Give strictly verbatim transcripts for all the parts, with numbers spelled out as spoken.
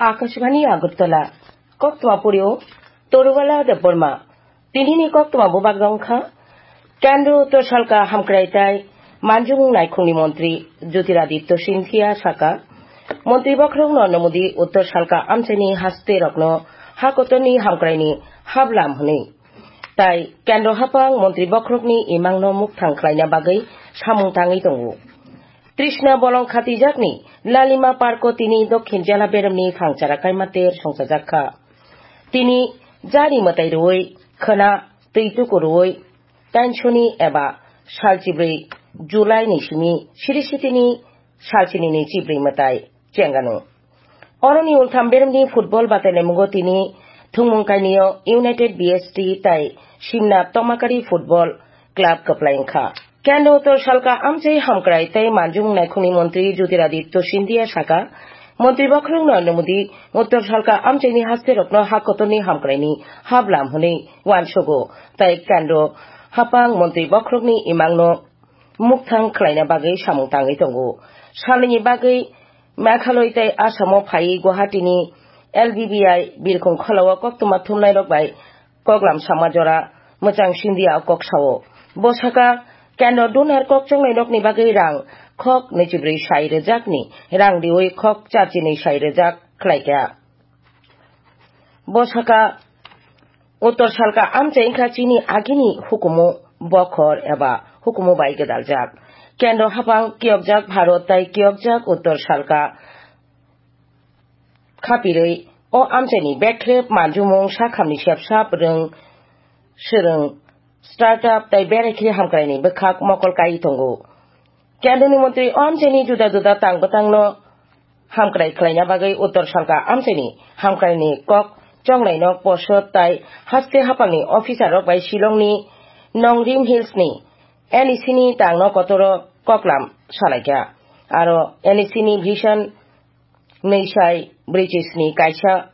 Akashbani Agartala, Koktma Purio, Toruwala Debbarma. Tinini koktma bubak rong kha, Kendro Uttor Salka Hamkrai tai Manjung Naikhungni Montri Jyotiraditya Scindia saka, Montri Bokhorok Narendra Modi Uttor Salka amchaini haste rokno hakotorni hamkraini hablam hwnwi. Tai Kendro Hapang Montri Bokhorokni imangno mukthang khlaina bagwi samung tangwi tongo. Trishna bolong khatijakni Lalima Parko tini Dokhin Jela Beremni Phangchara Kaimater songchajak kha. Tini jari mwtai rwui, khwna twi tuku rwui, tainsoni eba salchibrwi July ni simi siri sitini salchini ni chibrwi mwtai chengano. Oroni ultham beremni football batailaimungo tini thwngmung kainio United B S T tai Simna Tomakari Football Club kwplai wngkha. Kendro Uttor Salka amchai hamkrai tei manjung naikhungni montri Jyotiraditya Scindia saka, Montri Bokhorok Narendra Modi Uttor Salka amchaini hasterokno hakotorni hamkraini hablam hwnwi uansugo tei Kendro Hapang Montri Bokhorokni imangno mukthang khlaina bagwi samung tangwi tongo. Salnini bagwi Meghalaya tei Assamo phaiwi Guwahati ni L B B I birkhung kholao koktwma thumnairok bai koklam sama jora mwchang Scindia o kok sao. Bo saka, Kendro dunar kok chongnairokni bagwi rang khok nwichibrwi sai rwjakni rang riwi khok charchinwi sai rwjak khlaikha. Bo saka, Uttor Salka amchai wngkha chini agini hukumu bokhor eba hukumu bai gwdaljak. Kendro hapang kiyokjak Bharat tai kiyokjak Uttor Salka khapirwi o amchaini bekrep manjumung sakhamni sepsap rwng swrwng startup tai berai khe hamkraini bwkhak mokol kai tongo. Kendroni montri o amchaini juda juda tang bwtangno hamkrai khlaina bagwi Uttor Salka amchaini hamkraini kok chongnaino posot tai haste hapangni officer rok bai Shillongni Nongrim Hills ni N E C ni tangno kotoro koklam salaikha. Aro N E C ni Vision nwi sai brwi chisni kaisa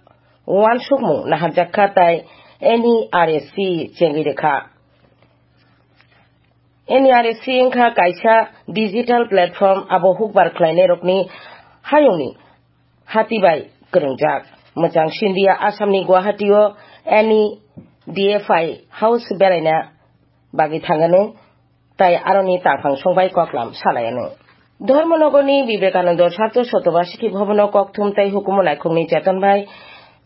uansukmung naharjak kha tai N E R S C chengwi rwkha. N E R S C wngkha kaisa digital platform, abo hukbar khlainairokni hayungni hati bai kwrwngjak. Mwchang Scindia Assamni Guwahati-o N E D F I House beraina bagwi thangano, tai aroni tangphang songbai koklam salayano. Dharmanagorni Vivekananda Sartho Sotobasiki Bhavan-o kokthum tai hukumu naikhungni cheton bai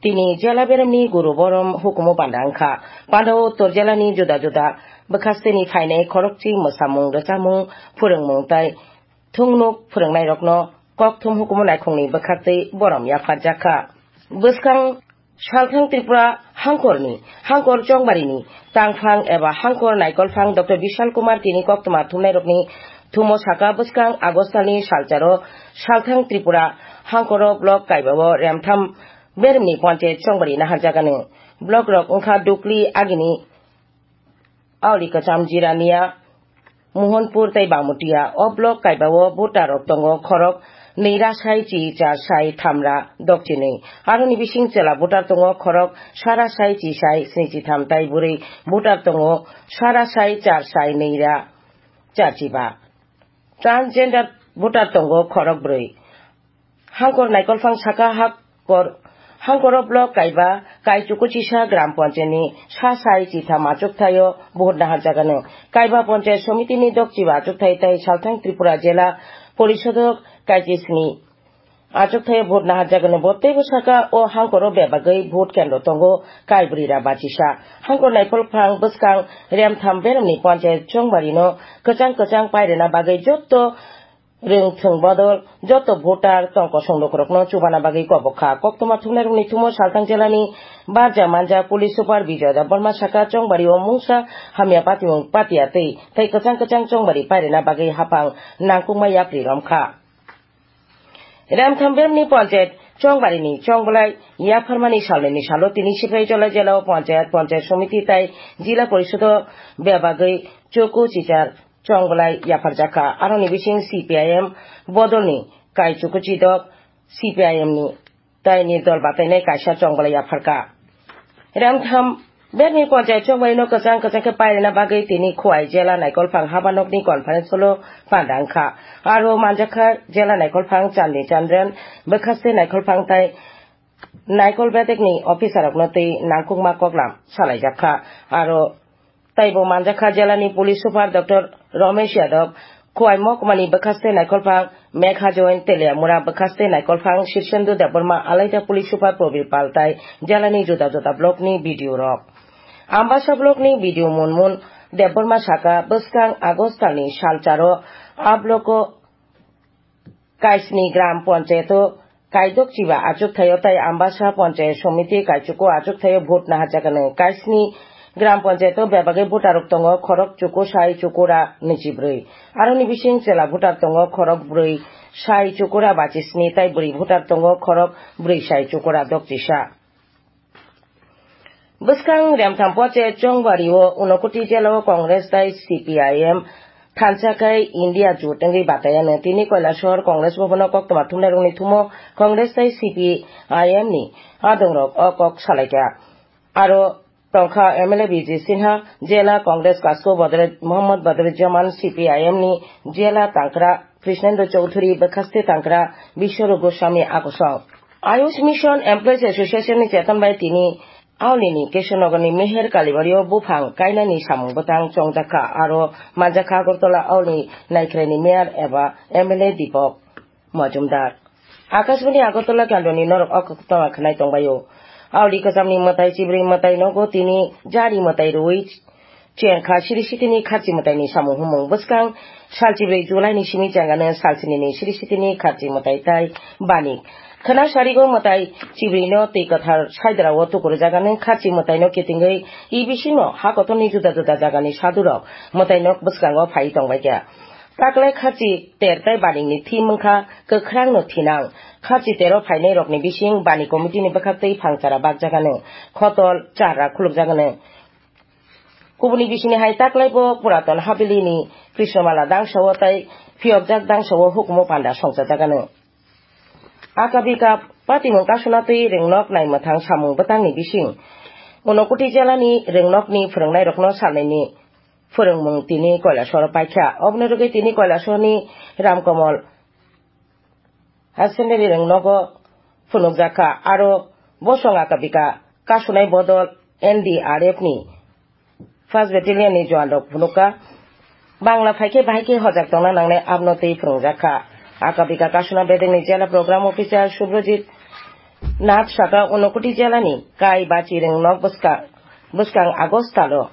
tini jela beremni guru borom hukumu panda wngkha. Pandao Uttor jelani juda juda bwkhasteni phainai khorokchi mwsamung, rwchapmung, phwrwngmung tai thungnuk phwrwngnairokno kokthum hukumu naikhungni bwkhaktwi borom yapharjakha. Bwskang Salthang Tripura hangkorni, hangkor chongbarini tangphang eba hangkor naikolphang Doctor Bishal Kumar tini koktwma thumnairokni thumo saka bwskang August talni salcharo Salthang Tripura hangkoro block kaibao remtham beremni ponchayat chongbari naharjagani. Block rok wngkha Dukli agini Aoli Kacham Jirania, Mohanpur tei Bangmutia. O block kaibao voter rok tongo khorok nwi ra sai chi char sai tham ra dokchinwi. Aroni bising chwla voter tongo khorok sara sai chi sai sni chi tham tai bwrwi voter tongo sara sai char sai nwi ra char chi ba. Transgender voter tongo khorok bwrwi. Hangkor naikolphang saka hakor, hangkoro block kaiba, kaichukuchisa gram ponchayni sa sai chitham achukthai-o vote naharjagano. Kaiba ponchayat somitini dokchiba achukthai tai Salthang Tripura Jela Porisodo kaichisni achukthai-o vote naharjagano. Bo teibo saka o hangkoro bebagwi vote kendro tongo kaibrwi ra bachisa. Hangkor naikolphang bwskang remtham beremni ponchayat chongbarino kwchang kwchang pairwna bagwi jotto Rwngthwng bodol joto voter tong kosong lukurokno chubana bagwi kobok kha. Koktwma thumnairokni thumo Salthang jelani barja manja police super Bijoy Debbarma saka chongbario mungsa hamya patimung patiya twi tei kwchang kwchang chongbari pairina bagwi haphang nangkukma yapri romkha. Remtham beremni ponchayat chongbarini chongbolai yapharmani salnwini salo tini Siprai Jolai jelao ponchayat, ponchayat somiti tei jila porisodo bebagwi chuku chichar chongbolai yapharjakha. Aroni bising C P I M bodolni kaichukuchi dok C P I M ni taini dol batainai kaisa chongbolai yapharkha. Remtham berni ponchayat chongbolai no kwchang kwchang khe pairina bagwi tini Khowai jela naikolphang habanokni conference hall-o panda wngkha. Aro manjakha jela naikolphang Chandi Chandran, bwkhaste naikolphang tai naikol bedekni officer rokno twi nangkukma koklam salaijak kha. Aro taibo manjak kha jela ni police super Doctor Romesh Yadav, Khowai Mohkuma ni bwkhaste naikolphang Megha Join, Teliamura bwkhaste naikolphang Shirsendu Debbarma, alaida police super Probir Pal tai jela ni juda juda block ni B D O rok. Ambasa block ni B D O Munmun Debbarma saka, bwskang August tal ni salcharo a block o kaisni gram panchayat o kaidok chiba achukthaio tai Ambasa Panchayat Somiti kaichuko achukthaio vote naharjakani. Kaisni gram panchayat o bebagwi voter rok tongo khorok chuku sai chukura nwichibrwi. Aroni bising chela voter tongo khorok brwi sai chukura bachisni tai bwrwi voter tongo khorok brwi sai chukura dokchisa. Bwskang Remtham Poche Chongbario Unakoti jela o Congress tai C P I M thansa khai India jut wngwi batayano. Tini Kailasor Congress Bhavan o koktwma thumnairokni thumo Congress tai C P I M ni adongrok o kok salaikha. Aro tongkha M L A Vijay Sinha, jela Congress Kasko Badrujjaman, C P I M ni jela tangkra Krishnendra Chowdhury, bwkhaste tangkra Biswarup Goswami akosong. Ayush Mission Employees Association ni cheton bai tini Auli ni Keshanogor ni Meher Kalibario buphang kainani samung bwtang chongjakha, aro manjakha Agartala Auli ni naikhrai ni mayor eba M L A Deepak Majumdar. Akashbani Agartala kendroni norok o koktwma khwnai tongbaio. Auli kwchamni mwtai chibrwi mwtai nogo tini jari mwtai rwui chengkha siri sitini kharchi mwtaini samung humung. Bwskang sal chibrwi July ni simi chengano sal sinini siri sitini kharchi mwtai tai bani. Khwna sarigo mwtai chibrwino twi kwthar saidra o tukurjagano kharchi mwtaino kitingwi E B C no hakotorni juda juda jagani sadurok mwtaino bwskango phai tongbaikha. Taklai kharchi ter tai baningni thim wngkha kwkhrangno thinang. Kharchi tero phainairokni bising bani committee ni bwkhaktwi phangchara bakjagano, khotol, charra khulukjagano. Kubuni bisingni hai taklai bo Puraton Haveli ni Krishnamala dangsao tai phiyokjak dangsao hukumu panda songchajagano. Akabika patimung kasuna twi ringnok naimwthang samung bwtangni bising. Unakoti jela ni ringnokni phwrwngnairokno salnaini phwrwngmung tini Kailasoro paikha. Oboni rwgwi tini Kailasorni Ramkomol Hair Secondary ringnogo phunukjakha. Aro bosong akabika kasunai bodol N D R F ni first battalion ni jowan rok phunukha. Bangla phaikhe bahai khe hojak tongna nangnai abono tei phwrwngjakha. Akabika kasuna bedekni jela program officer Subrajit Nath saka Unakoti jela ni kai bachi ringnok bwska-, bwskang August talo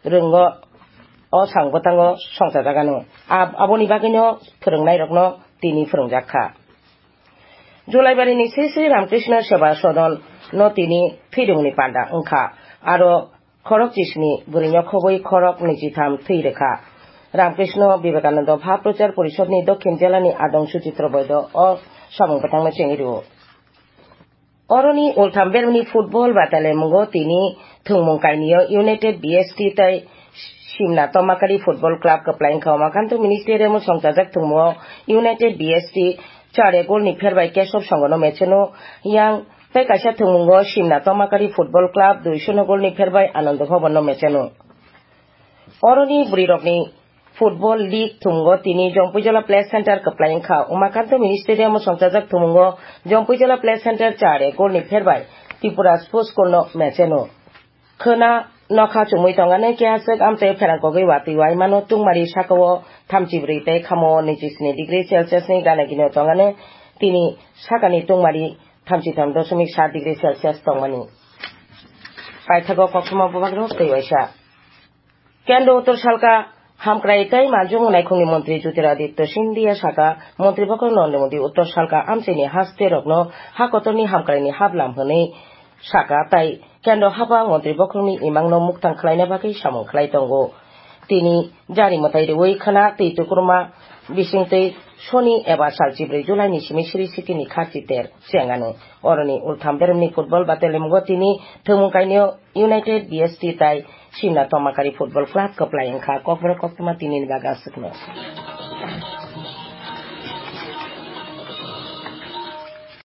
rwngo o sang bwtango songchajagano. Ab-, aboni bagwino phwrwngnairokno tini phwrwngjak kha. Julaibari ni sese Ramkrishna Seva Sadhan no tini thwirwngni panda wngkha. Aro khorok chisni bwrwino khobwi khorok nijitham thwi rwkha. Ramkrishna Vivekananda Bhab Prochar Porishod ni Dokhin Jela ni adong Suchitra Boido o samung bwtangno chengwi rwo. Oroni ultham bermni football batalemungo tini thwngmung kainio United B S T tai Simna Tomakari Football Club kwplai wngkha. Omakanto Ministerium o songchajak thwngmungo United B S T chare goal ni pherbai Kesop Songono mecheno, yang tei kaisa thwngmungo Simna Tomakari Football Club duisono goal ni pherbai Anando Bhavan no mecheno. Oroni bwrwirokni Football League thwngmung o tini Jompuijala Play Center kwplai wngkha. Umakanto Mini Stadium o songchajak thwngmung o Jompuijala Play Center chare goal ni pherbai Tripura Sports School no mecheno. Khwna nokha chumui tongani keha swk amchai pherang kogwi watwi waimano tungmari saka o thamchi brwi tei khamo niji sni degree Celsius ni gana gini o tongani tini sakani tungmari thamchi tham dosmik sat degree Celsius tongmani. Paithago koktwma bubagrok tei waisa. Kendro Uttor Salka Hamkrai tei Manjung Naikhungni Montri Jyotiraditya Scindia saka, Montri Bokhorok Narendra Modi Uttor Salka amchaini haste rokno hakotorni hamkraini haplam hwnwi saka tai Kendro hapang Montri Bokhorokni imangno muktang khlaina bagwi samung khlai tongo. Tini jari mwtai rwui khwna twi tukurma bisingtwi soni eba sal chibrwi July ni simi siri sitini kha chiter chengano. Oroni ultham beremni football batelemungo tini thwngmung kainio United B S T tai Simna Tomakari Football Club kwplai wngkha. Kokborok koktwma tinini bagwi aswkno.